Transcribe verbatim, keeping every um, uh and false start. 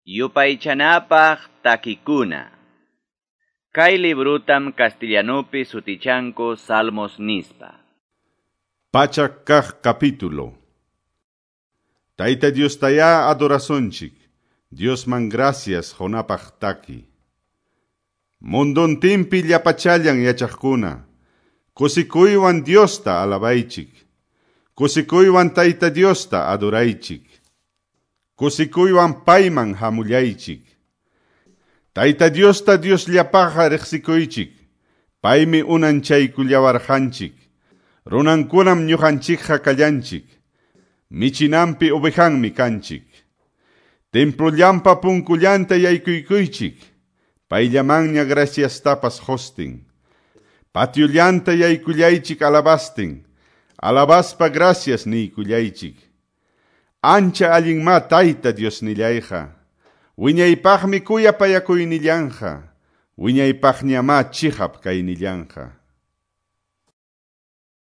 Yupaychanapaq takikuna. Kay librutam castellanupi sutichanku Salmos nispa. Pachak kaq capítulo. Tayta Diostayá adorasunchik, Diosman gracias qunapaq taki. Munduntinpi llapachallan yachaqkuna, kusikuywan Diosta alabaychik, kusikuywan Tayta Diosta adoraychik, kusikuywan payman hamullaychik. Tayta Diosta Diosllapaqqa riqsikuychik, paymi unanchaykullawarqanchik, runankunam ñuqanchikqa kallanchik, michinanpi ovejanmi kanchik. Templollampa punkullanta yaykuykuychik, payllamanña graciastapas qustin. Patiollanta yaykullaychik alabastin, alabaspa gracias niykullaychik. Ancha allinmá Tayta Diosnillayqa, wiñaypaqmi kuyapayakuynillanqa, wiñaypaqñamá chiqap kaynillanqa.